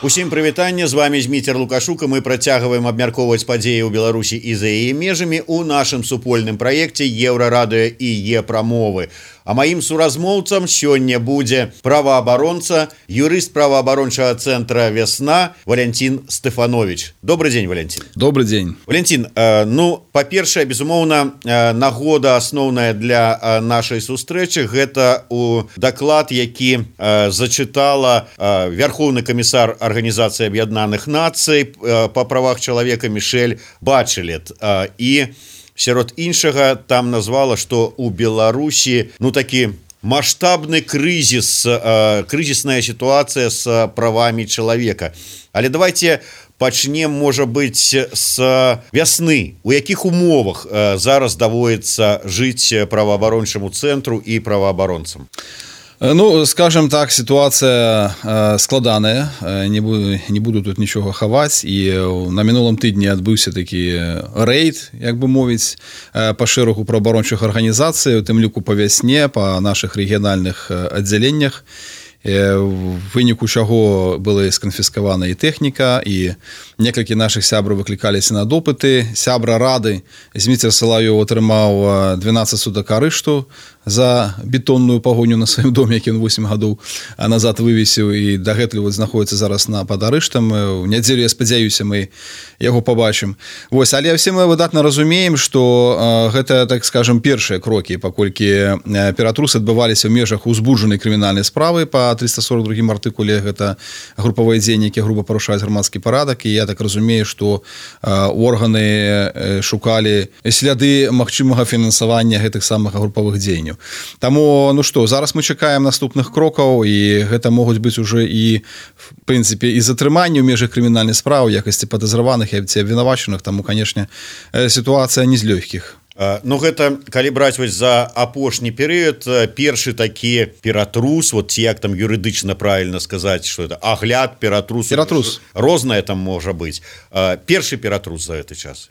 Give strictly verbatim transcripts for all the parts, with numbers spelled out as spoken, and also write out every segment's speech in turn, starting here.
Усім прывітанне, з вами Зміцер Лукашук, і мы працягваем абмяркоўваць падзеі ў Беларусі і за яе межамі ў нашым супольным праекце Еўрарадыё і Е-прамовы. А маім суразмоўцам сёння будзе праваабаронца, юрыст праваабарончага цэнтра «Вясна» Валентин Стефанович. Добрый день, Валентин. Добрый день. Валентин, э, ну, па-першае, безумоўна, э, нагода асноўная для э, нашай сустрэчы, гэта у даклад, які э, зачытала э, Верховны камісар Организации Объединенных Наций э, по правах человека Мишель Бачелет. Э, и сярод іншага там назвала, што у Беларусі ну такі масштабны крызіс, э, крызісная сітуацыя з правамі чалавека. Але давайте пачнем, можа быць, з вясны. У якіх умовах э, зараз даводіцца жыць праваабарончаму цэнтру і праваабаронцам? Ну, скажем так, ситуация э, складаная, не буду, не буду тут нічога хаваць, і на мінулым тыдні адбыўся такі рэйд, як бы мовіць, э, па шэрагу праваабарончых арганізацый, у тым ліку па вясне, па нашых рэгіянальных аддзяленнях, в выніку чаго была сканфіскавана і тэхніка, і некалькі нашых сябраў выклікаліся на допыты. Сябра рады Зміцер Салавёў атрымаў дванаццаць сутак арышту за бетонную пагоню на сваім доме, які ён восем гадоў назад вывесіў, і дагэтуль вот знаходіцца зараз на пад арыштам. У нядзелю, я спадзяюся, мы яго пабачым. Вось, але все мы выдатна разумеем, што гэта, так скажем, першыя крокі, паколькі ператрусы адбываліся ў межах узбуджанай крымінальнай справы па трыста сорок другім артыкуле, гэта групавыя дзеянні, якія груба парушаюць грамадскі парадак, і я так разумею, што органы шукалі сляды магчымага фінансавання гэтых самых групавых дзеянняў. Таму, ну што, зараз мы чакаем наступных крокаў, і гэта могуць быць уже і, в прынцыпе, і затрыманне ў межах крымінальнай справы, якасці падазраваных і абвінавачаных. Таму, канешне, сітуацыя не з лёгкіх. Ну, гэта, калі браць вось за апошні перыяд, першы такі ператрус, вот ці як там юрыдычна правільна сказаць, што это агляд, ператрус, ператрус. Рознае там можа быць. Першы ператрус за гэты час.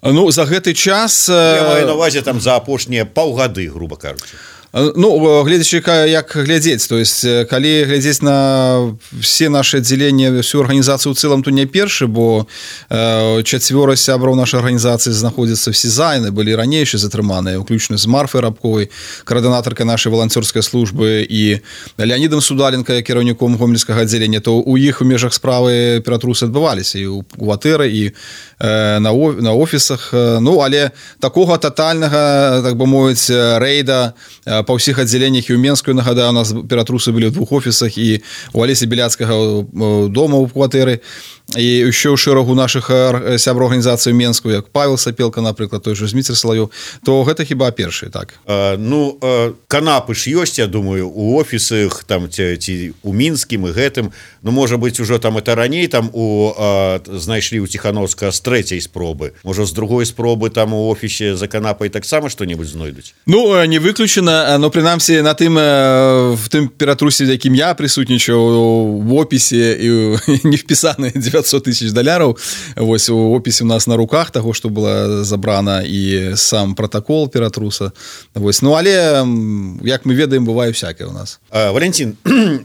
Ну, за гэты час... Я маю на ўвазе там за апошнія паўгады, груба кажучы. Ну, гледзячы, як глядзець, то есть, калі глядзець на все наши аддзяленні, всю арганізацыю ў цэлым, то не першы, бо э, чацвёра сябраў нашай арганізацыі знаходзяцца в СІЗА, былі ранейші затрыманыя, уключна з Марфай Рабковай, коордынатаркай нашай валанцёрскай службы, і Леонідам Судаленко, кіраўніком гомельскага аддзялення, то у іх у межах справы ператрусы адбываліся і ў кватэры, і э, на, на офісах. Ну, але такога тотальнага, так бы мовіць, рэйда па ўсіх аддзяленнях, і ў Менскую, нагадаю, у нас ператрусы былі ў двух офісах, і у Алесі Біляцкага дома ў кватэры, і еще ў шэрагу нашых сябраў арганізацыі Менскую, як Павел Сапелка, напрыклад, той же Зміцер Салавёў, то гэта хіба першы, так. А, ну, а, канапы ж ёсць, я думаю, у офісах, там, ці, ці у Мінскім і гэтым, ну, можа быць, ужо там это раней, там, у, а, знайшлі ў Ціхановска з трэцяй спробы, можа, з другой спробы там у офісе за канапай таксама што-небудзь знойдуць? Ну, не выключана, но прынамсі на тым, в тым ператрусе, якім я прысутнічаў в опісе, і не впісаны девятьсот тысяч даляраў, вось у опісе у нас на руках таго, што было забрана, і сам протакол ператруса. Вось, ну, але, як мы ведаем, бывае всякае у нас. А, Валентин,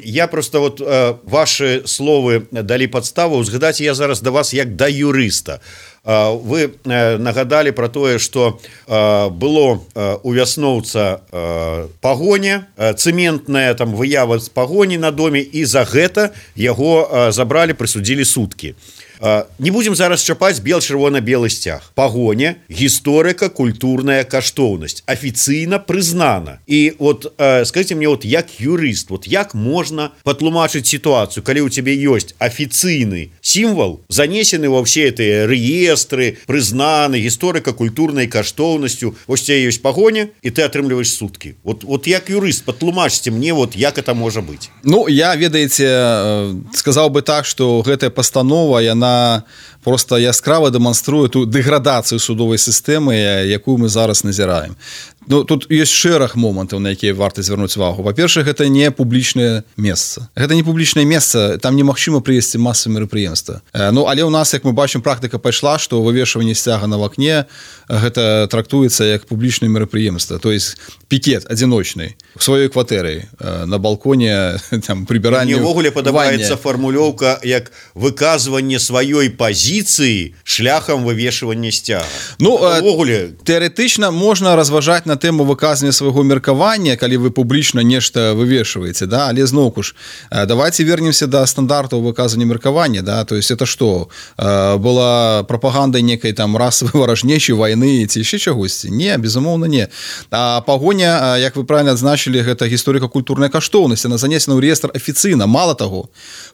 я просто вот а, ваши словы далі падставу, узгадаць я зараз да вас як да юрыста. Вы нагадали про тое, што было у вясноўца пагоня, цэментная там выява з пагоні на доме, і за гэта яго забралі, прысудзілі суткі. Не будем зараз чапаць бел-чырвона-белы сцяг. Пагоня, гісторыка, культурная каштоўнасць афіцыйна прызнана. І вот скажите мне, вот як юрыст, вот як можна патлумачыць сітуацыю, калі ў цябе ёсць афіцыйны сімвал, занесены ва ўсе гэтыя рэестры, прызнаны гісторыка, культурнай каштоўнасцю, вось цябе ёсць пагоня, і ты атрымліваеш суткі. Вот, вот як юрыст, патлумачце мне, вот як это можа быць. Ну, я, ведаеце, сказаў бы так, што гэтая пастанова, яна просто яскрава дэманструе ту дэградацыю судовай сістэмы, якую мы зараз назіраем. Ну, тут ёсць шэраг момантаў, на якія варта звярнуць увагу. Па-першае, гэта не публічнае месца. Гэта не публічнае месца, там немагчыма прывесці масавае мерапрыемства. Ну, але ў нас, як мы бачым, практыка пайшла, што вывешванне сцяга на вакне гэта трактуецца як публічнае мерапрыемства. То есть пікет адзіночны в сваёй кватэры на балконе, там прыбіранне. Мне ўвогуле падабаецца фармулёўка як выказванне сваёй пазіцыі шляхам вывешвання сцяга. Ну, ўвогуле тэарэтычна можна разважаць на тэму выказвання свайго меркавання, калі вы публічна нешта вывешваеце, да, але зноўку ж давайте вернемся да стандартаў выказвання меркавання, да, то есть это што, была прапаганда некай там расавай варажнечы, вайны ці яшчэ чагосьці? Не, безумоўна, не. А пагоня, як вы правильно адзначылі, гэта гісторыка-культурная каштоўнасць, яна занесена ў реестр афіцыйна. Мала таго,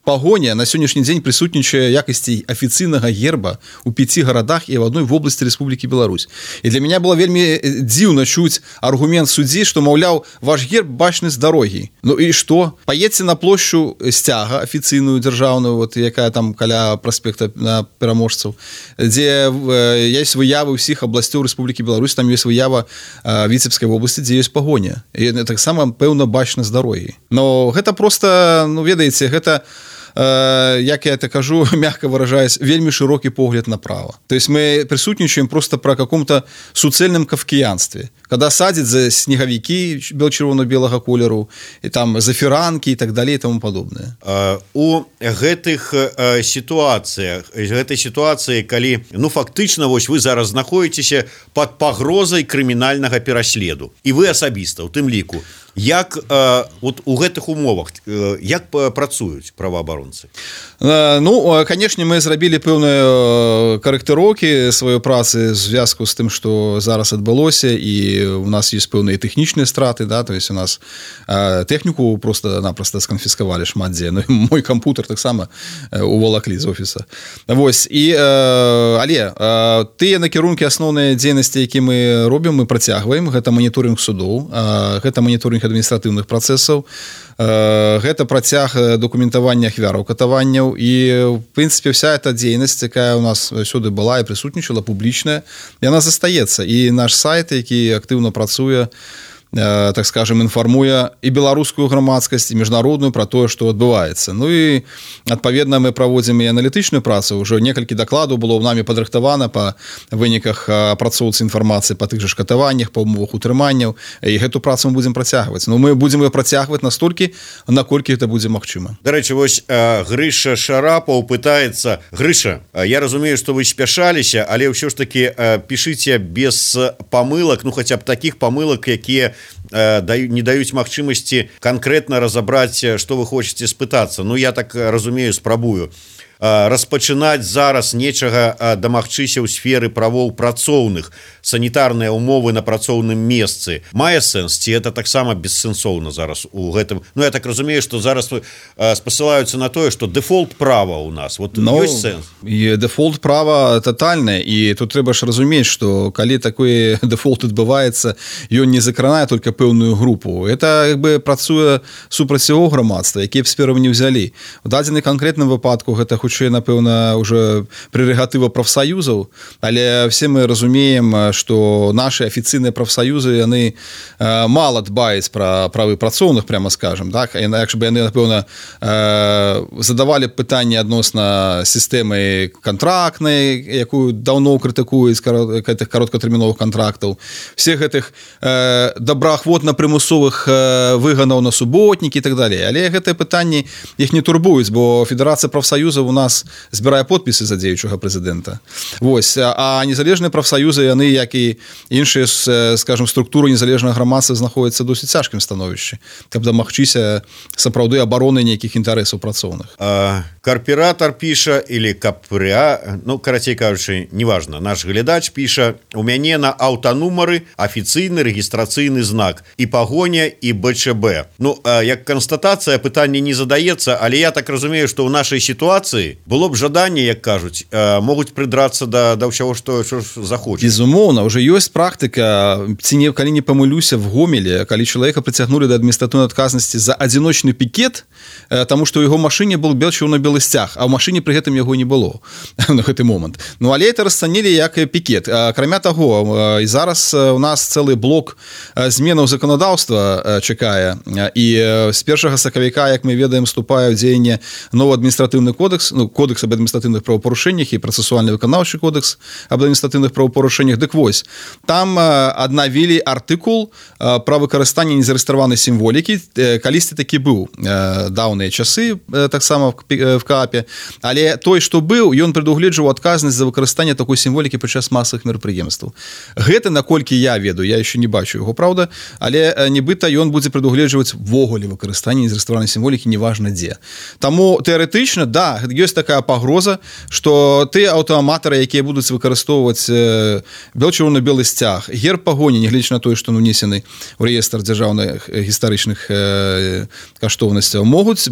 пагоня на сённяшні дзень прысутнічае якасці афіцыйнага герба ў пяці гарадах і ў адной вобласці Рэспублікі Беларусь. І для мяне было вельмі дзіўна чуць аргумент суддзі, што, маўляў, ваш герб бачны з дарогі. Ну і што? Паедзьце на плошчу сцяга афіцыйную дзяржаўную, вот, якая там каля праспекта на пераможцаў, дзе ёсць выявы ўсіх абласцёў Рэспублікі Беларусь, там ёсць выява Віцебскай вобласці, дзе ёсць пагоня. І таксама, пэўна, бачна з дарогі. Но гэта проста, ну, ведаеце, гэта як я это кажу, мягко выражаясь, вельмі широкі погляд направо. То есть мы присутничаем просто про каком-то суцэльным кавкіянстве. Когда садят за снегавікі чырвона-белага колеру, и там за фіранкі и так далее и тому подобное. У гэтых ситуациях, гэтай ситуации, калі, ну, фактычна, вось вы зараз знаходзіцеся под пагрозай крымінальнага пераследу. І вы асабіста, у тым ліку. Як э, вот у гэтых умовах э, як працуюць праваабаронцы? Э, ну, конечно, мы зрабілі пэўныя карэктыроўкі сваёй працы в звязку з тым, што зараз адбылося, і у нас есть пэўныя тэхнічныя страты, да, то есть у нас э, тэхніку просто-напросто сканфіскавалі шмат дзе. Ну, мой кампутер таксама э, уволаклі з офіса. Вось, і, э, але э, тыя накірункі асноўныя дзейнасці, які мы робім, мы працягваем. Гэта маніторинг судоў, э, гэта маніторинг адміністратыўных працэсаў, гэта працяг дакументавання ахвяраў катаванняў, і в прынцыпе вся эта дзейнасць, якая у нас сюды была і прысутнічала, публічная, яна застаецца. І наш сайт, які актыўна працуе, так скажем, інфармуе і беларускую грамадскасць, і міжнародную пра тое, што адбываецца. Ну і адпаведна мы праводзім і аналітычную працу. Ўжо некалькі дакладаў было ў нами падрыхтавана па выніках апрацоўцы інфармацыі па тых жа катаваннях, па умовах утрыманняў, і гэту працу мы будзем працягваць. Ну мы будзем ее працягваць настолькі, наколькі гэта будзе магчыма. Дарэчы, вось Грыша Шарапаў пытаецца. Грыша, я разумею, што вы спяшаліся, але ўсё ж таки пішыце без памылак, ну хаця б такіх памылак, якія не даюць магчымасці канкрэтна разабраць, што вы хочаце спытацца. Ну, я так разумею, спрабую. Распачынаць зараз нечага дамагчыся ў сферы правоў працоўных, санітарныя умовы на працоўным месцы. Мае сэнс, ці это таксама бессэнсоўна зараз у гэтым? Ну, я так разумею, што зараз спасылаюцца на тое, што дэфолт права ў нас. Вот no, ёсць сэнс? І дэфолт права тотальны, і тут трэба ж разумець, што калі такой дэфолт адбываецца, ён не закранае толькі пэўную групу. Это як бы працуе супраць усяго грамадства, якія б сперва не ўзялі. У дадзеным канкрэтным выпадку гэта хутчэй, напэўна, уже прерагатыва прафсаюзаў, але все мы разумеем, што нашы афіцыйныя прафсаюзы, яны мала дбаюць пра правы працоўных, прямо скажем, так? Інакш бы яны, напэўна, задавалі пытанні адносна сістэмы кантрактнай, якую даўно крытыкуюць, гэтых кароткатэрміновых кантрактаў, всех гэтых добраахвотна-прымусовых выганаў на суботнікі і так далее. Але гэтыя пытанні іх не турбуюць, бо Федэрацыя прафсаюзаў у нас збірае подпісы за дзеючага прэзідэнта. Вось, а незалежныя прафсаюзы, яны, як і іншыя, скажем, структуры незалежнага грамадства, знаходзяцца ў досыць цяжкім становішчы, каб дамагчыся сапраўды абароны нейкіх інтарэсаў працоўных. Карпіратар піша, или капря, ну, карацей кажучы, неважна, наш глядач піша: у мяне на аўтанумары афіцыйны рэгістрацыйны знак, і пагоня, і бэ чэ бэ. Ну, як канстатацыя, пытанне не задаецца, але я так разумею, што ў нашай сітуацыі заўсёды было б жаданне, як кажуць, могуць прыдрацца да, да ўсяго, што, што захочуць. Безумоўна, уже ёсць практыка, ці не, калі не памылюся, в Гомелі, калі чалавека прыцягнулі да адміністратыўнай адказнасці за адзіночны пікет, таму што ў яго машыне был чырвона-белы сцяг, а ў машыне пры гэтым яго не было на гэты момант. Ну, але это расцанілі як пікет. Акрамя таго, і зараз у нас цэлы блок зменаў заканадаўства чакае, і з першага сакавіка, як мы ведаем, вступае ў дзеянне новы адміністратыўны кодекс, ну, кодекс об адміністратыўных правапарушэннях і працэсуальны выканаўчы кодекс об адміністратыўных правапарушэннях. Дык вось, там аднавілі артыкул пра выкарыстанне незарэстраванай сімволікі. Калісьці такі быў даўныя часы, таксама в КАПе, але той, што быў, ён прадугледжваў адказнасць за выкарыстанне такой сімволікі падчас масавых мерапрыемстваў. Гэта, наколькі я ведаю, я яшчэ не бачу яго, праўда, але нібыта ён будзе прадугледжваць ввогуле выкарыстанне незарэстраванай сімволікі неважна дзе. Таму тэарэтычна, да, ёсць такая пагроза, што тыя аўтааматары, якія будуць выкарыстоўваць чырвона-белы сцяг, герб пагоні, нягледзячы на тое, што унесены ў рэестр дзяржаўных гістарычных каштоўнасцяў, могуць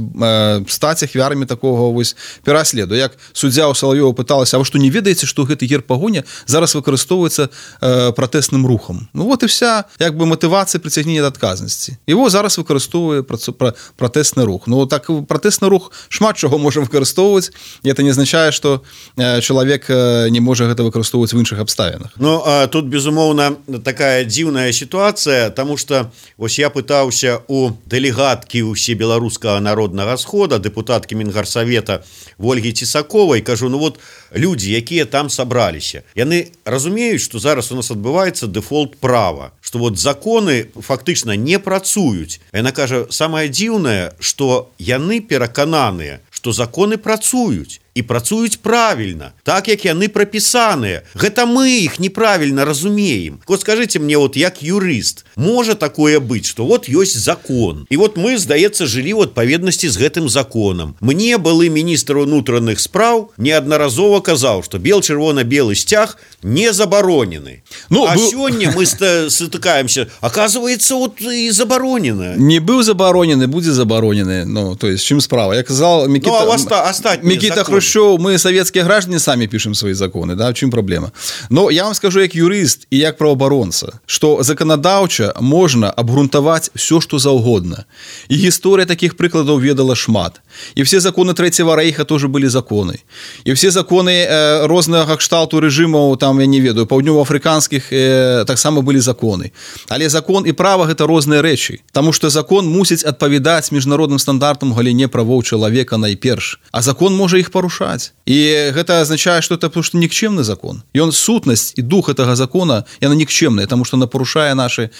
стаць ахвярамі такога вось пераследу. Як суддзя ў Салавёва пыталася: а вы што не ведаеце, што гэты герб пагоня зараз выкарыстоўваецца пратэсным рухам? Ну вот і вся як бы матывацыя прыцягнення да адказнасці. Его зараз выкарыстоўвае пратэсны рух. Ну так пратэсны рух шмат чаго можа выкарыстоўваць, і это не азначае, што чалавек не можа гэта выкарыстоўваць в іншых абставінах. Ну а тут безумоўна такая дзіўная сітуацыя, таму што вось я пытаўся у дэлегаткі ўсебеларускага народнага схода, дэпутаткі Мінгарсавета Вольгі Цісаковай, кажу: ну вот людзі, якія там сабраліся, яны разумеюць, што зараз у нас адбываецца дэфолт права, што вот законы фактычна не працуюць. Яна кажа: самае дзіўнае, што яны перакананыя, што законы працуюць і працуюць правільна, так як яны прапісаныя. Гэта мы іх неправільна разумеем. Вот скажите мне, вот як юрыст, можа такое быць, што вот ёсць закон, і вот мы, здаецца, жылі ў адпаведнасці з гэтым законам. Мне былы міністр унутраных спраў неаднаразова казаў, што бел-чырвона-белы сцяг не забаронены. Ну, а быў... сёння мы сутыкаемся, оказывается, вот і забаронена. Не быў забаронены, будзе забаронены. Ну, то есть, чым справа? Я казал, Микита, ну, а оста... Микита Хрущев, мы, советские граждане, сами пишем свои законы, да, в чем проблема? Но я вам скажу, як юрист и як правоабаронца, что законодаўча можно обгрунтовать все, что заўгодна. И история таких прикладов ведала шмат. И все законы Третьего Рейха тоже были законы. И все законы э, розного кшталту режимов, там, я не ведаю, паўднёва-афрыканских, э, так само были законы. Але закон и право – это розныя рэчы. Потому что закон мусіць адпавядаць міжнародным стандартам у галіне правоў чалавека найперш. А закон можа их парушаць. И гэта означает, что это просто никчемный закон. И он сутнасць и дух этого закона, и она никчемная, потому что она порушае наши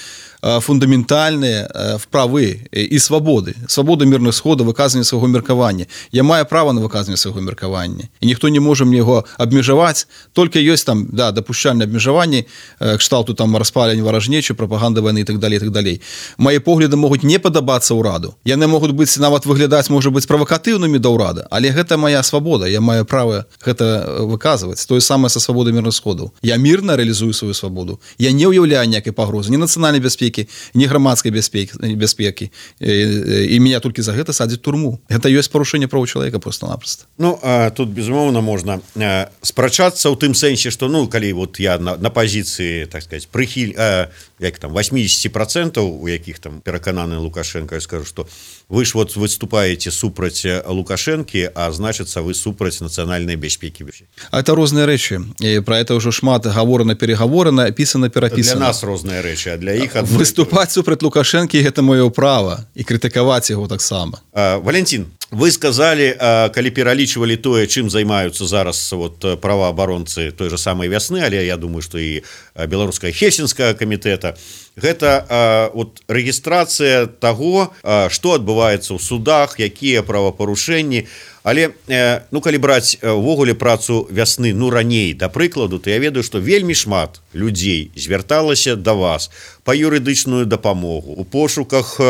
фундаментальныя правы і свабоды. Свабода мірных сходаў, выказвання свайго меркавання. Я маю права на выказванне свайго меркавання. І ніхто не можа мне яго абмежаваць. Толькі ёсць там, да, дапушчальныя абмежаванні, кшталту там распалення варажнечы, прапаганда вайны і так далей, і так далей. Мае погляды могуць не падабацца ўраду. Яны могуць быць нават выглядаць, можа быць, правакатыўнымі да ўрада, але гэта моя свабода. Я маю права гэта выказваць. Тое самае са свабодай мірных сходаў. Я мірна рэалізую сваю свабоду. Я не ўяўляю ніякай пагрозы, ні нацыянальнай бяспекі, не грамадскай бяспекі, і меня толькі за гэта садзяць турму. Гэта ёсць парушэнне правоў чалавека просто-напросто. Ну, а тут безумоўна можна спрачацца ў тым сэнсе, што, ну, калі вот я на, на пазіцыі, так сказать, прыхіль, а, як там восемьдесят процентов, у якіх там перакананы Лукашенко, я скажу, што вы ж вот выступаете супраць Лукашэнкі, а значыцца вы супраць нацыянальнай бяспекі. А это розныя рэчы. І пра гэта ўжо шмат гаворана, перагаворана, апісана, перапісана. Для нас розныя рэчы, а для іх адно... Выступаць супраць Лукашэнкі – гэта маё права, і крытыкаваць яго таксама. Валентин, вы сказали, калі пералічвалі тое, чым займаюцца зараз вот праваабаронцы той же самай вясны, але я думаю, што і беларускага хельсінскага камітэта, гэта вот рэгістрацыя таго, што адбываецца ў судах, якія правапарушэнні. Але, ну, калі браць увогуле працу вясны, ну, раней, да прыкладу, то я ведаю, што вельмі шмат людзей звярталася да вас па юрыдычную дапамогу, у пошуках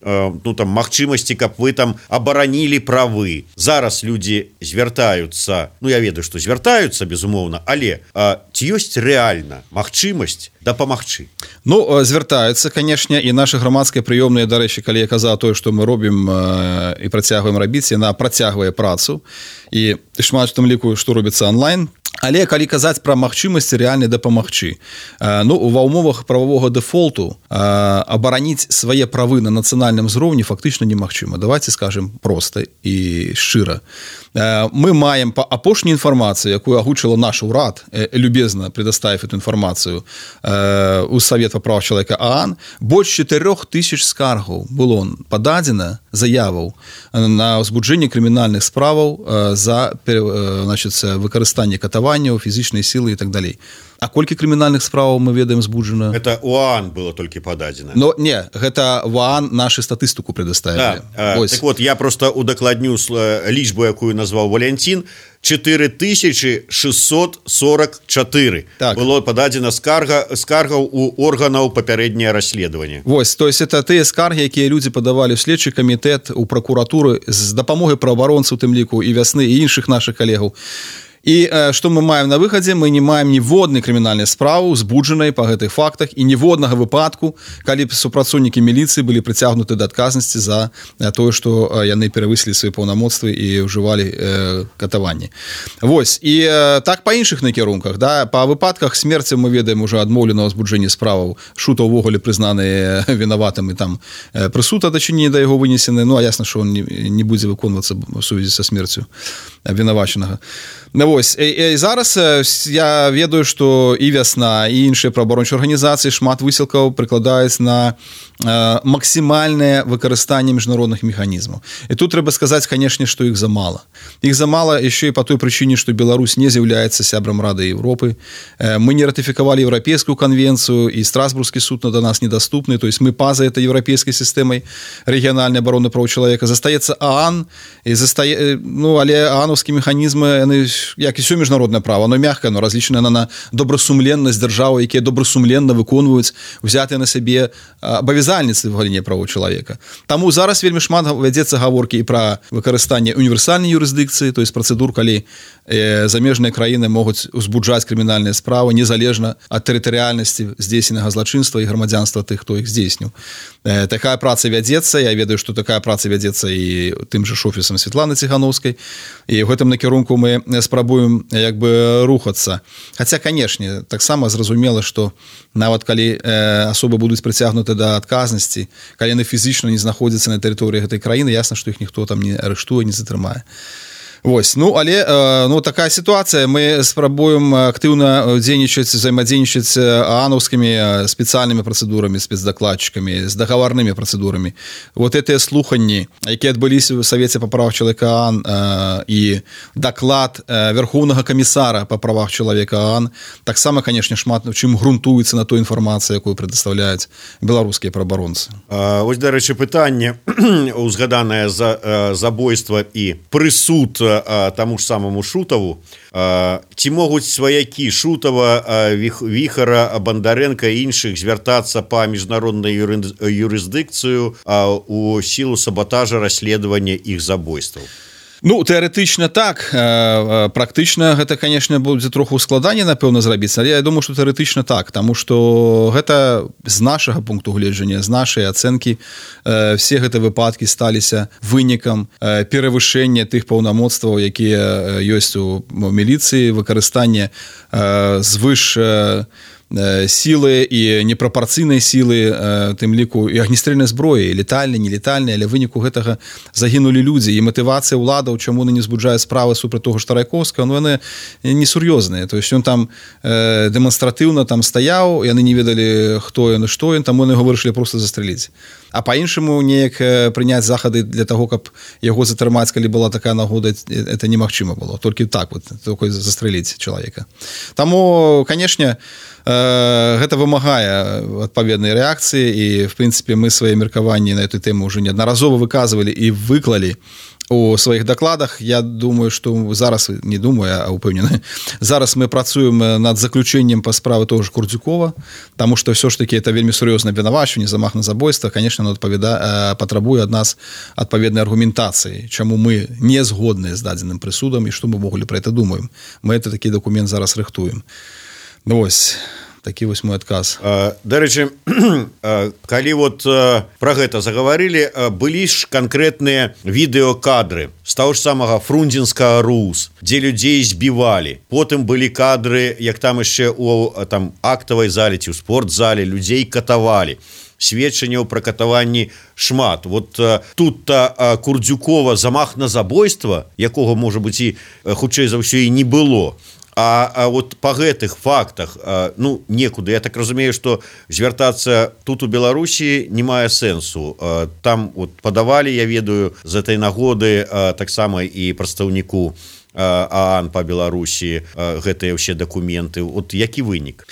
ну там магчымасці, каб вы там абаранілі правы. Зараз людзі звяртаюцца, ну я ведаю, што звяртаюцца безумоўна, але ці ёсць рэальна магчымасць дапамагчы? Ну, звяртаюцца, канешне, і нашы грамадскія прыёмныя, дарэчы, калі я казаў тое, што мы робім і працягваем рабіць, яна працягвае працу, і шмат у тым ліку, што робіцца онлайн. Але калі казаць пра магчымасці рэальна дапамагчы, ну, ва ўмовах прававога дэфолту абараніць свае правы на нацыянальным узроўні фактычна немагчыма. Давайте скажем проста і шчыра. Мы маем па апошняй інфармацыі, якую агучыла наш урад, любезна предоставив эту інфармацыю у Савет па правах чалавека ААН, больш чатырох тысяч скаргаў было пададзена, заяваў на ўзбуджэнне крымінальных справаў за, значит, выкарыстанне катаванняў, фізічнай сілы і так далей. А колькі крымінальных справаў мы ведаем збуджана? Это у ААН было толькі пададзена. Но не, гэта у ААН нашу статыстыку предоставили. Да, так вот, я просто удакладню лічбу, якую назваў Валянцін. чатыры тысячы шестьсот сорок четыре так. Было пададзена скарга, скаргаў у органаў папярэдняе расследаванне. Вось, то есть это тыя скаргі, якія людзі падавалі ў следчы камітэт, у пракуратуры з дапамогай праваабаронцаў, у тым ліку і вясны, і іншых нашых калегаў. І э, што мы маем на выхадзе? Мы не маем ніводнай крымінальнай справы збуджанай па гэтых фактах і ніводнага выпадку, калі б супрацоўнікі міліцыі былі прыцягнуты да адказнасці за тое, што яны перавысілі свае паўнамоцтвы і ўжывалі э, катаванні. Вось, і э, так па іншых накірунках, да, па выпадках смерці мы ведаем уже адмоўлена ўзбуджэнне справаў, Шута ўвогуле прызнаны вінаватым і там э, прысуд ад дачынення да яго вынесены, ну а ясна, што он не, не будзе выконвацца ў сувязі са смерцю вінавачанага. Вось, і, і зараз я ведаю, што і вясна, і іншыя праваабарончыя арганізацыі шмат высілкаў прыкладаюць на э, максімальнае выкарыстанне міжнародных механізмаў. І тут трэба сказаць, канешне, што іх замала. Іх замала яшчэ і па той прычыне, што Беларусь не з'яўляецца сябрам Рады Еўропы. Э, мы не ратыфікавалі еўрапейскую канвенцыю, і Страсбургскі суд да нас недаступны, то есть мы па-за этой еўрапейскай сістэмай рэгіянальнай абароны праў чалавека. Застаецца ААН, і застае, ну, але аановскія механізмы, яны, як і ўсё міжнароднае права, оно мягкае, оно разлічанае на добрасумленнасць дзяржавы, якія добрасумленна выконваюць узятыя на сябе абавязальніцы в галіне правоў чалавека. Таму зараз вельмі шмат вядзецца гаворкі і пра выкарыстанне універсальнай юрысдыкцыі, то есть працэдур, калі э, замежныя краіны могуць узбуджаць крымінальныя справы незалежна ад тэрытарыяльнасці здзейсненага злачынства і грамадзянства тых, хто іх здзейсніў. Э, такая праца вядзецца, я ведаю, што такая праца вядзецца і тым жа офісам Святланы Ціхановскай, і ў гэтым накірунку мы спрабуем як бы рухацца. Хаця, канешне, таксама зразумела, што нават калі э, асобы будуць прыцягнуты да адказнасці, калі яны фізічна не знаходзяцца на тэрыторыі гэтай краіны, ясна, што іх ніхто там не арыштуе, не затрымае. Вось, ну, але э, ну, такая сітуацыя. Мы спрабуем актыўна дзейнічаць, взаимодзейнічаць аановскімі спецыяльнымі працэдурамі, спецдакладчыкамі, з дагаварнымі працэдурамі. Вот гэтыя слуханні, якія адбыліся ў Савеце па правах чалавека ААН, э, і даклад э, Верхоўнага камісара па правах чалавека ААН, таксама, канешне, шмат чым грунтуецца на той інфармацыі, якую прадастаўляюць беларускія праваабаронцы. А, ось, дарэчы, пытанне узгаданае за э, забойства і прысуд таму ж самому Шутаву. Ці могуць сваякі Шутава, Віхара, Бандарэнка і іншых звяртацца па міжнароднай юрысдыкцыю у сілу саботажа расследавання іх забойстваў? Ну, тэарэтычна так, практычна гэта, канешне, будзе троху складанне, напэўна, зрабіць, але я думаю, што тэарэтычна так, таму што гэта з нашага пункту гледжання, з нашай ацэнкі, все гэты выпадкі сталіся вынікам перавышэння тых паўнамоцтваў, якія ёсць у міліцыі, выкарыстанне звыш сілы і непрапарцыйнай сілы, тым ліку і агнестрэльнай зброі, летальнай, нелетальнай, але выніку гэтага загінулі людзі, і матывацыя ўладаў, чаму яны не збуджаюць справы супраць того ж Тарайкоўскага, ну яны несур'ёзныя. То есть ён там э, дэманстратыўна там стаяў, яны не ведалі, хто ён і што ён, таму яны яго вырашылі проста застрэліць. А па-іншаму неяк прыняць захады для таго, каб яго затрымаць, калі была такая нагода, это немагчыма было. Толькі так вот, толькі застрэліць чалавека. Таму, канешне, гэта вымагае адпаведнай рэакцыі, і в прынцыпе мы свае меркаванні на эту тэму ўжо неаднаразова выказвалі і выклалі у сваіх дакладах. Я думаю, што зараз, не думаю, а упэўнены, зараз мы працуем над заключэннем па справы того ж Курдзюкова, таму што ўсё ж таки это вельмі сур'ёзнае абвінавачванне, замах на забойства, конечно, оно адпавяда... патрабуе ад нас адпаведнай аргументацыі, чаму мы не згодныя з дадзеным прысудам і што мы ўвогуле пра гэта думаем. Мы это такі дакумент зараз рыхтуем. Ну вось, такі вось мой адказ. Дарэчы, калі вот пра гэта загаварылі, былі ж канкрэтныя відэокадры з таго ж самага фрунзенскага РУС, дзе людзей збівалі. Потым былі кадры, як там яшчэ у там актавай зале ці ў спортзале людзей катавалі. Сведчанняў пра катаванні шмат. Вот тут-то Курдзюкова замах на забойства, якога, можа быць, і хутчэй за ўсё і не было. А, а вот по гэтых фактах, а, ну, некуды. Я так разумею, што звяртацца тут у Беларусі не мае сэнсу. А, там вот падавалі, я ведаю, з этой нагоды а, таксама і прадстаўніку ААН па Беларусі а, гэтыя ўсе дакументы. Вот які вынік?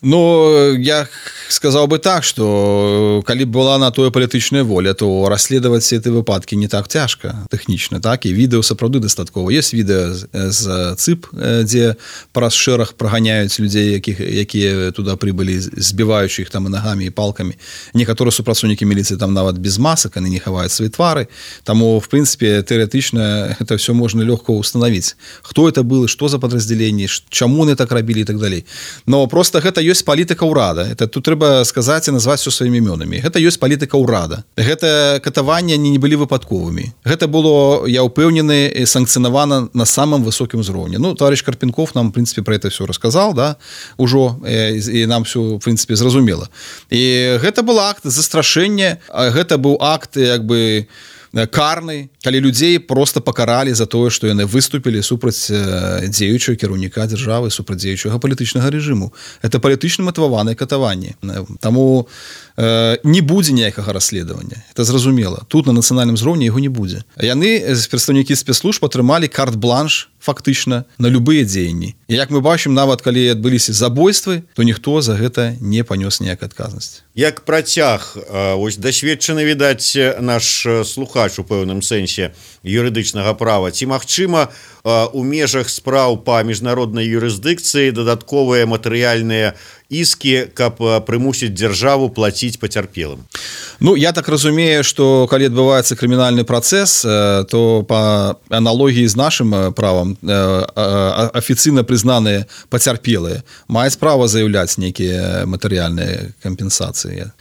Ну, я сказаў бы так, што калі б была на тое палітычная воля, то расследаваць гэты выпадкі не так цяжка тэхнічна, так, і відэо сапраўды дастаткова. Ёсць відэо з ЦЫП, дзе праз шэраг праганяюць людзей, якіх, якія туды прыбылі, збіваючы іх там і нагамі, і палкамі. Некаторыя супрацоўнікі міліцыі там нават без масак, яны не хаваюць свае твары. Таму, в прынцыпе, тэарэтычна это все можна лёгка ўстанавіць. Хто это было, што за падраздзяленні, чаму яны так рабілі і так далей. Но просто гэта ёсць палітыка ўрада. Это тут трэба сказаць і назваць усё сваімі імёнамі. Гэта ёсць палітыка ўрада. Гэта катаванні не былі выпадковымі. Гэта было, я ўпэўнены, санкцыянавана на самым высокім узроўні. Ну, товарищ Карпенков нам, в прынцыпе, про это все расказал, да, ужо, і нам все, в прынцыпе, зразумела. І гэта был акт застрашэння, гэта быў акт, як бы, карны, калі людзей просто пакаралі за тое, што яны выступілі супраць дзеючага кіраўніка дзяржавы, супраць дзеючага палітычнага рэжыму. Это палітычна матываваныя катаванні. Таму э, не будзе ніякага расследавання. Это зразумела. Тут на нацыянальным узроўні яго не будзе. Яны, прадстаўнікі спецслужб, атрымалі карт-бланш фактычна на любыя дзеянні. І як мы бачым, нават калі адбыліся забойствы, то ніхто за гэта не панёс ніякай адказнасці. Як працяг, ось дасведчаны, відаць, наш слухач у пэўным сэнсе юрыдычнага права, ці магчыма у межах спраў па міжнароднай юрысдыкцыі дадатковыя матэрыяльныя іскі, каб прымусіць дзяржаву плаціць пацярпелым? Ну, я так разумею, што калі адбываецца крымінальны працэс, то па аналогіі з нашым правам афіцыйна прызнаныя пацярпелыя маюць права заяўляць нейкія матэрыяльныя кампенсацыі.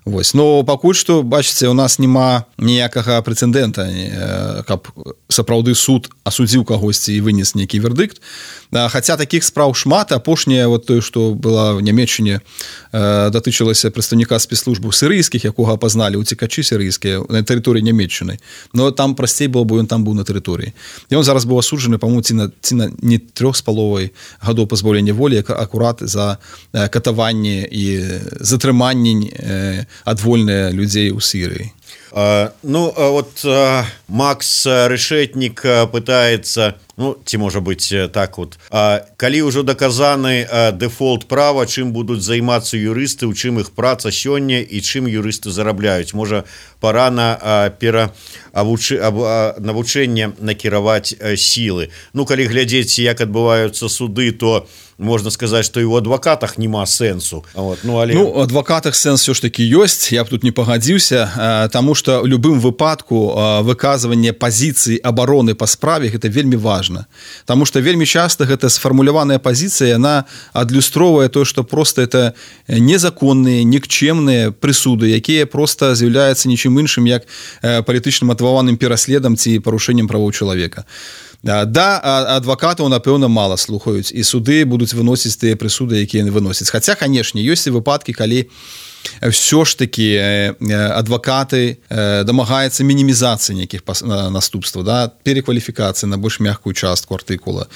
Вось. Но пакуль што, бачыце, у нас няма ніякага прэцэдэнта, каб сапраўды суд асудзіў кагосьці і вынес нейкі вердыкт. Хаця такіх спраў шмат. Апошняе, вот тое, што была в Нямецчыне, датычылася прадстаўніка спецслужбаў сірыйскіх, якога апазналі уцекачы сірыйскія на тэрыторыі Нямецчыны. Но там прасцей было, бо ён там быў на тэрыторыі. І ён зараз быў асуджаны, па-моему, ці на, ці на не трох з паловай гадоў пазбаўлення волі, акурат за катаванне і затрыманне адвольныя людзей у Сірыі. Uh, ну, uh, вот uh, Макс Решетнік uh, пытаецца, ну, ці можа быць так вот, uh, калі ўжо доказаны uh, дэфолт права, чым будуць займацца юрысты, у чым іх праца сёння і чым юрысты зарабляюць? Можа, пара на uh, перавучы, uh, навучэнне накіраваць uh, сілы. Ну, калі глядзець, як адбываюцца суды, то можна сказаць, што і ў адвакатах няма сэнсу. Вот, ну, але... ну, у адвакатах сэнс все ж таки ёсць, я б тут не пагадзіўся, таму што ў любым выпадку выказванне пазіцыі абароны па справе гэта вельмі важна. Таму што вельмі часта гэта сфармуляваная пазіцыя, яна адлюстроўвае тое, што проста это незаконныя, нікчемныя прысуды, якія проста з'яўляюцца нічым іншым, як палітычна матываваным пераследам ці парушэннем правоў чалавека. Да, адвакатаў, напэўна, мала слухаюць, і суды будуць выносіць тыя прысуды, якія яны выносяць. Хаця, канешне, ёсць і выпадкі, калі ўсё ж такі адвакаты дамагаюцца мінімізацыі нейкіх наступстваў, да, перекваліфікацыі на больш мяккую частку артыкула.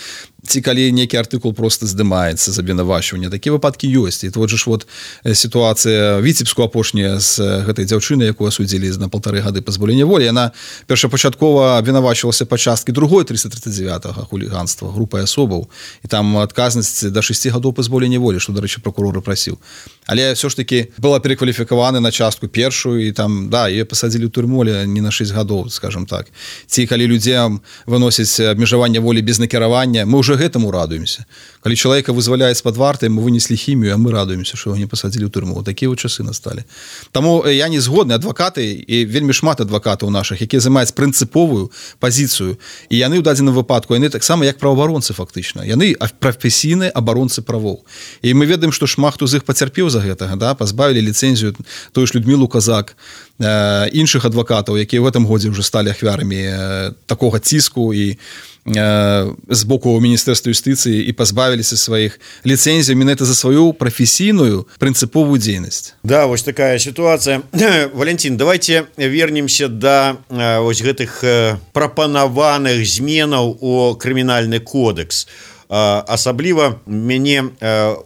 ці калі нейкі артыкул просто здымаецца за абвінавачванне. Такія выпадкі ёсць. І вот же ж вот сітуацыя Віцебску апошняя з гэтай дзяўчыны, якую асудзілі на паўтары гады пазбаўлення волі, яна першапачаткова абвінавачвалася па часткі другой трыста тридцать девятого хуліганства групай асобаў, і там адказнасць да шэсці гадоў пазбаўлення волі, што, дарэчы, пракурор прасіў. Але ўсё ж таки была перакваліфікавана на частку першую, і там, да, яе пасадзілі ў турму, але не на шэсць гадоў, скажем так. Ці калі людзям выносяць абмежаванне волі без накіравання, мы ўжо гэтаму радуемся. Калі чалавека вызваляюць з-пад варты, мы вынеслі хімію, а мы радуемся, што яго не пасадзілі ў турму. Такія вот часы насталі. Таму я не згодны, адвакаты, і вельмі шмат адвакатаў нашых, якія займаюць прынцыповую пазіцыю, і яны ў дадзеным выпадку, яны таксама як праваабаронцы фактычна. Яны прафесійныя абаронцы правоў. І мы ведаем, што шмат хто з іх пацярпеў за гэтага, да, пазбавілі ліцэнзію тую ж Людмілу Казак, э, іншых адвакатаў, якія в гэтым годзе ўжо сталі ахвярамі э, такога ціску і з боку Міністэрства юстыцыі і пазбавіліся сваіх ліцэнзій менавіта за сваю прафесійную прынцыповую дзейнасць. Да, вось такая сітуацыя. Валентин, давайте вернемся да вось гэтых прапанаваных зменаў у крымінальны кодекс. Асабліва мяне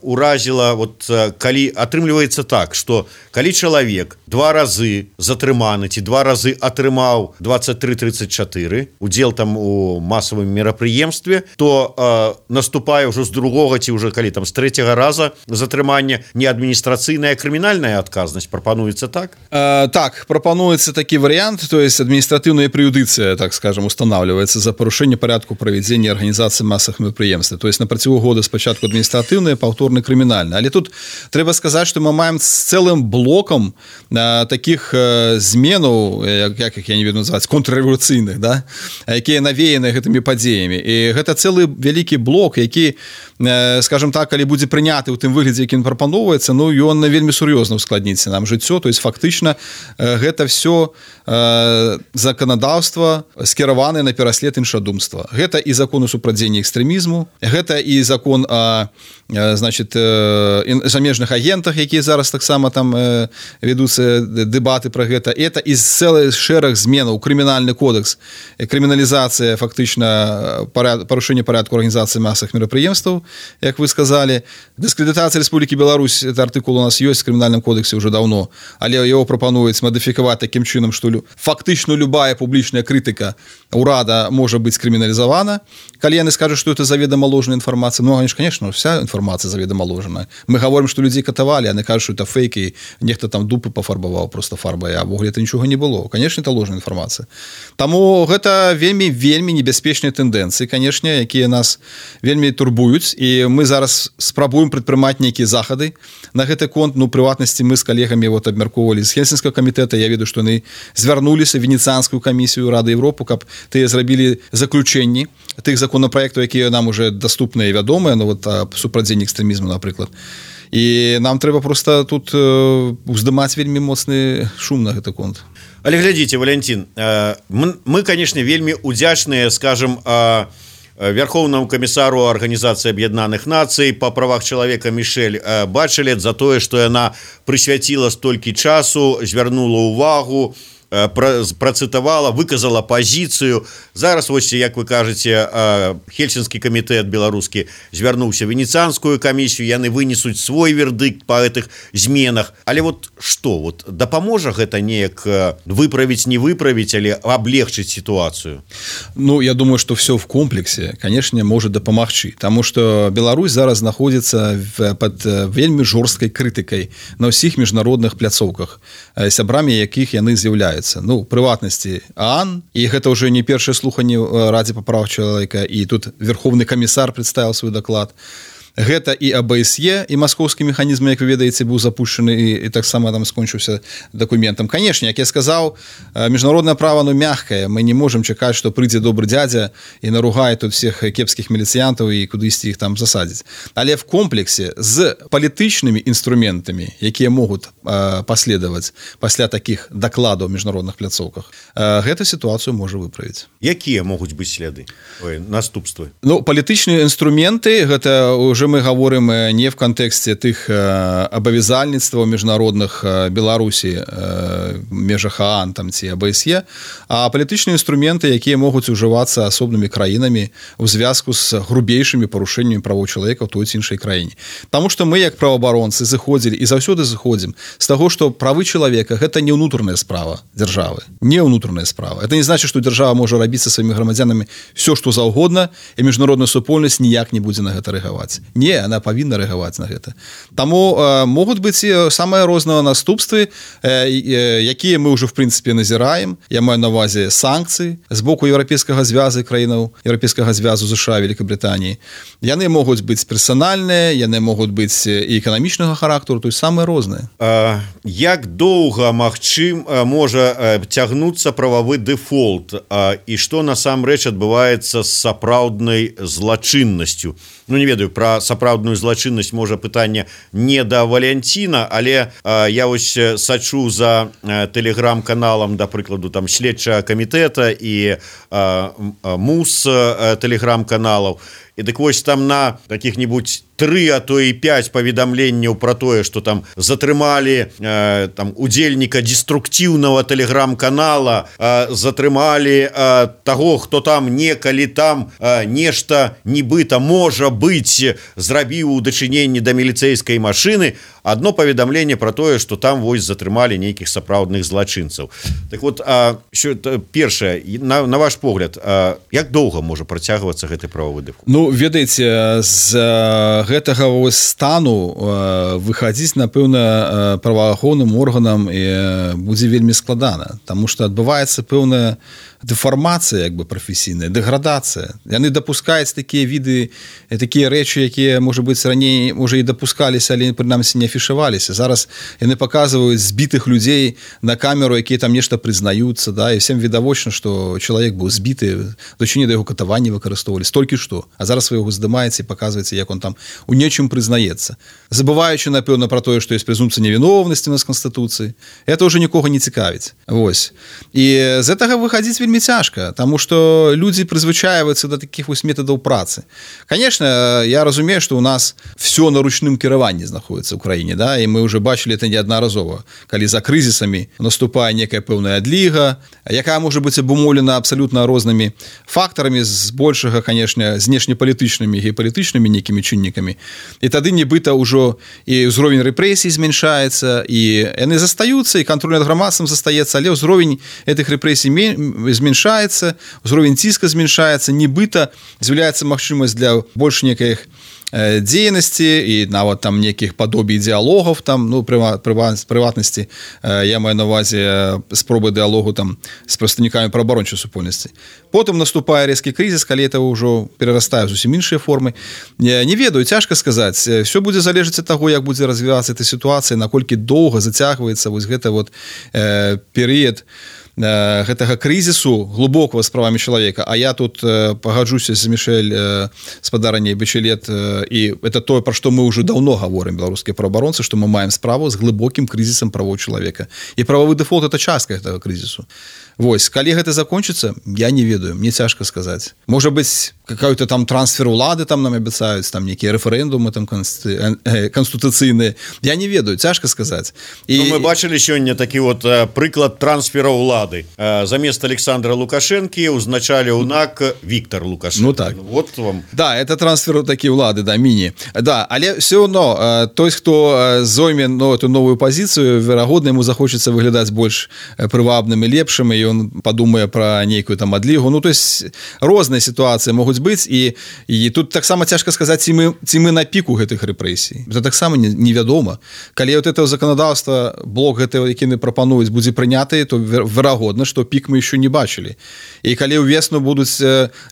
уразіла, вот калі атрымліваецца так, што калі чалавек два разы затрыманы ці два разы атрымаў двадцать три тридцать четыре удзел там у масавым мерапрыемстве, то э, наступае ўжо з другога ці ўжо калі там з трэцяга раза затрымання не адміністрацыйная, а крымінальная адказнасць прапануецца так? Э, так, прапануецца такі варыянт, то есть адміністратыўная прыюдыцыя, так скажем, устанавливается за парушэнне парядку правядзення арганізацыі масавых мерапрыемстваў. То есть на працягу года спачатку адміністратыўныя, паўторны крымінальны. Але тут трэба сказаць, што мы маем з цэлым блокам а, такіх а, зменаў, як, як я не веду называць, контррэвалюцыйных, да? Якія навеяны гэтымі падзеямі. І гэта цэлы вялікі блок, які, а, скажем так, калі будзе прыняты ў тым выглядзе, які прапаноўваецца, ну ён вельмі сур'ёзна ускладніць нам жыццё. То есть фактычна а, гэта все а, заканадаўства скіраванае на пераслед іншадумства. Гэта і закон о супрацьдзеянні экстрэмізму, гэта і закон о, значит, замежных агентах, якія зараз таксама там вядуцца дэбаты пра гэта. Это і цэлы шэраг зменаў, крымінальны кодекс, крыміналізацыя фактычна парушэння парядку арганізацыі масавых мерапрыемстваў, як вы сказалі. Дыскрэдытацыя Рэспублікі Беларусь, это артыкул у нас ёсць в крымінальным кодексе уже давно, але яго прапануюць мадыфікаваць такім чынам, што фактычна любая публічная крытыка ўрада можа быць крыміналізавана. Калі яны скажуць, што это заведомо ложная информация. Ну, конечно, вся информация заведомо ложная. Мы говорим, что людей катовали, они кажут, что это фейк, и нехто там дупы пофарбовал просто фарбой, а в огляд ничего не было. Конечно, это ложная информация. Тому это вельми, вельми небяспечныя тэндэнцыі, конечно, якія нас вельми турбуюць, и мы зараз спрабуем прадпрымаць нейкія захады на гэты конт. Ну, прыватнасці мы з калегамі вот абмяркоўвалі з Хельсінскага камітэта. Я ведаю, што яны звярнуліся в Венецыянскую камісію Рады Европы, каб тыя зрабілі заключэнні тых законапраектаў, якія нам уже доступныя і вядомыя, ну вот супрацьдзеянні экстрэмізму, напрыклад. І нам трэба просто тут уздымаць вельмі моцны шум на гэты конт. Але глядзіце, Валентин, мы, мы конечно, вельмі удзячныя, скажем, Верховному камісару Арганізацыі Аб'яднаных Нацый па правах чалавека Мішэль Бачэлет за тое, што яна прысвяціла столькі часу, звярнула ўвагу, працытавала, выказала пазіцыю. Зараз, вось, як вы кажаце, Хельсінскі камітэт беларускі звярнуўся в Венецыянскую камісію, яны вынесуць свой вердыкт па гэтых зменах. Але вот што? Вот дапаможа гэта неяк выправіць, не выправіць, але аблегчыць сітуацыю? Ну, я думаю, что все в комплексе, конечно, может дапамагчы, потому что Беларусь зараз находится под вельмі жорсткай крытыкай на ўсіх міжнародных пляцоўках, сябрамі якіх яны з'яўляюцца. Ну, прыватнасці ААН, і гэта ўжо не першае слуханне Радзе па правах чалавека, і тут Верховны камісар прадставіў свой даклад. Гэта і АБСЕ, і маскоўскі механізм, як вы ведаеце, быў запущены, і, і таксама там скончыўся дакументам. Конечно, як я сказаў, міжнароднае права, ну, мягкае. Мы не можам чакаць, што прыйдзе добры дядзя і наругае тут всех кепскіх міліцыянтаў і кудысьці іх там засадзіць. Але в комплексе з палітычнымі інструментамі, якія могуць э, паследаваць пасля такіх дакладаў міжнародных пляцоўках, э, гэта сітуацыю можа выправіць. Якія могуць быць сляды? Ой, наступствы? Ну, палітычныя інструменты, гэта ўжо уже мы говорим не в контексте тых абавязальніцтваў міжнародных Беларусі межах ААН там ці АБСЕ, а палітычныя інструменты, якія могуць ужывацца асобнымі краінамі ў звязку з грубейшымі парушэннямі правоў чалавека ў той ці іншай краіне. Таму што мы як праваабаронцы зыходзілі і заўсёды зыходзім з таго, што правы чалавека гэта не ўнутраная справа дзяржавы, не ўнутраная справа. Это не значит, што дзяржава можа рабіць са сваімі грамадзянамі все, што заўгодна, і міжнародная супольнасць ніяк не будзе на гэта рэагаваць. Не, она павінна рэагаваць на гэта. Таму э, могуць быць самыя розныя наступствы, э, якія мы ўжо в прынцыпе назіраем. Я маю на увазе санкцыі з боку еўрапейскага звязу краінаў еўрапейскага звязу ЗША Великабрытаніі. Яны могуць быць персанальныя, яны могуць быць і эканамічнага характару, то есть самыя розныя. А, як доўга магчым можа цягнуцца прававы дэфолт, а, і што насамрэч адбываецца з сапраўднай злачыннасцю? Ну, не ведаю, пра сапраўдную злачыннасць можа пытанне не да Валянціна, але а, я вось сачу за а, тэлеграм-каналам, да прыкладу, там следчага камітэта і а, МУС а, тэлеграм-каналаў. І дык вось там на каких-нибудь три, а то і пять паведамленняў про тое, што там затрымалі э, там удзельніка деструктыўнага тэлеграм-канала, э, затрымалі э, таго, хто там некалі там э, нешта нібыта можа быць зрабіў у дачыненні да міліцэйскай машыны. Одно паведамленне про тое, што там вось затрымалі нейкіх сапраўдных злачынцаў. Так вот, а, що, першае, на, на ваш погляд, а, як доўга можа працягвацца гэты правовы дэфолт? Ну, ведаеце, з гэтага стану выхадзіць, напэўна, праваахоўным органам будзе вельмі складана, таму што адбываецца пэўная дэфармацыя, як бы прафесійная, дэградацыя. Яны дапускаюць такія віды, такія рэчы, якія, можа быць, раней, можа, і дапускаліся, але, прынамсі, не афішаваліся. Зараз яны паказваюць збітых людзей на камеру, якія там нешта прызнаюцца, да, і всем відавочна, што чалавек быў збіты, дачыне да яго катаванні выкарыстоўвалі, столькі што. А зараз вы яго здымаеце і паказваеце, як он там у нечым прызнаецца. Забываючы, напэўна, пра тое, што ёсць прэзумпцыя невіновнасці у нас Канстытуцыі. Это ўжо нікога не цікавіць. Вось. І з гэтага выхадзіць вельмі цяжка, таму што людзі прызвычаиваюцца да такіх вось метадаў працы. Конечно, я разумею, што ў нас все на ручным кіраванні знаходіцца ў краіне, да, і мы ўжо бачылі это неаднаразова, калі за крызісамі наступае некая пэўная адліга, якая можа быць абумоўлена абсалютна рознымі фактарамі, збольшага, конечно, знешнепалітычнымі і геапалітычнымі нейкімі чыннікамі. І тады нібыта ўжо і ўзровень рэпрэсій змяншаецца, і яны застаюцца, і кантроль над грамадствам застаецца, але ўзровень гэтых рэпрэсій змяншаецца, ўзровень ціска змяншаецца, нібыта з'яўляецца магчымасць для больш некіх дзейнасці і нават там некіх падобій дыялогаў там, ну, прыватнасці, я маю на увазе спробы дыялогу там з прадстаўнікамі праваабарончай супольнасці. Потым наступае рэзкі крызіс, калі это ўжо перарастае зусім іншыя формы. Не, не ведаю, цяжка сказаць. Все будзе залежаць ад таго, як будзе развівацца эта сітуацыя, наколькі доўга зацягваецца вось гэта вот э, перыяд гэтага крызісу глубокого з правамі чалавека. А я тут э, пагаджуся з Мішэль э, спадарняй Бачэлет, э, і это тое, пра што мы ўжо даўно гаворым, беларускія праваабаронцы, што мы маем справу з глыбокім крызісам правоў чалавека. І прававы дэфолт — это частка гэтага крызісу. Вось, калі гэта закончыцца, я не ведаю, мне цяжка сказаць. Можа быць, какой-то там трансфер улады там нам абяцаюць, там нейкія рэферэндумы там канстытуцыйныя. Я не ведаю, цяжка сказаць. І ну, мы бачылі сёння такі вот прыклад трансфера улады. Замест Александра Лукашэнкі узначаліў НАК Віктор Лукашенко. Ну так. Вот вам. Да, это трансфер такі улады, да, міні. Да, але все одно той, хто зойме, ну, эту новую пазіцыю, верагодна, яму захочацца выглядаць больш прывабным і лепшым, і ён падумае пра нейкую там адлігу. Ну, то есть розныя сітуацыі могуць быць, і, і тут таксама цяжка сказаць, ці мы, ці мы на піку гэтых рэпрэсій. Это таксама невядома. Калі вот это заканадаўства, блок гэты, які яны прапануюць, будзе прыняты, то верагодна, што пік мы еще не бачылі. І калі ўвесну будуць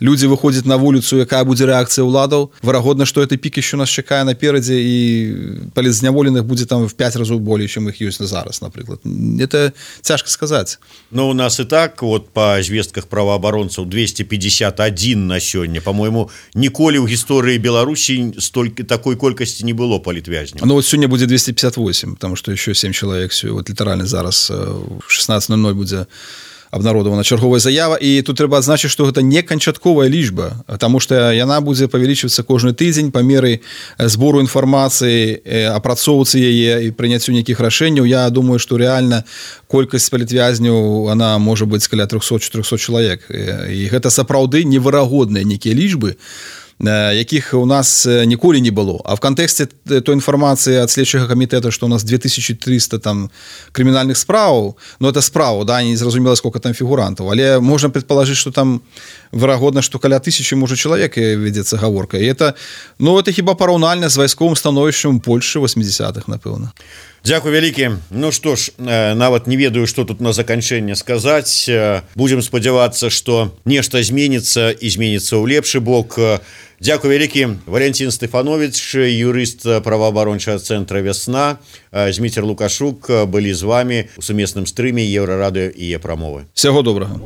людзі выходзіць на вуліцу, якая будзе рэакцыя ўладаў, верагодна, што гэты пік еще нас чакае наперадзе, і палітзняволеных будзе там в пять разоў болей, чым іх ёсць зараз, напрыклад. Это цяжка сказаць. Ну, у нас и так, вот по звестках правоабаронцаў двести пятьдесят один на сёння. По-моему, ніколі ў гісторыі Беларусі столькі такой колькасці не было палітвязняў. Ну, вот сёння будзе двести пятьдесят восемь, потому что еще семь человек, вот літаральна зараз в шестнадцать ноль ноль будзе абнародавана чарговая заява, і тут трэба адзначыць, што гэта не канчатковая лічба, таму што яна будзе павялічвацца кожны тыдзень па меры збору інфармацыі, апрацоўцы яе і прыняццю нейкіх рашэнняў. Я думаю, што рэальна колькасць палітвязняў, она можа быць каля трохсот-чатырохсот чалавек. І гэта сапраўды неверагодныя нейкія лічбы, якіх у нас ніколі не было. А в кантэксце той інфармацыі ад следчага камітэта, што у нас две тысячи триста там крымінальных справаў, ну это справа, да, не зразумела, сколько там фігурантаў, але можна предположить, што там верагодна, што каля тысячи можа чалавек вядзецца гаворка. І это, ну, это хіба параўнальна з вайсковым становішчам Польшчы восьмидесятых, напэўна. Дзякуй вялікі. Ну што ж, нават не ведаю, што тут на заканчэнне сказаць. Будзем спадзявацца, што нешта зменіцца і зменіцца ў лепшы бок. Дзякуй вялікі. Валентин Стефанович, юрыст праваабарончага цэнтра «Вясна», Зміцер Лукашук былі з вами у сумесным стрыме Еўрарадыё і Е-прамовы. Всяго добрага.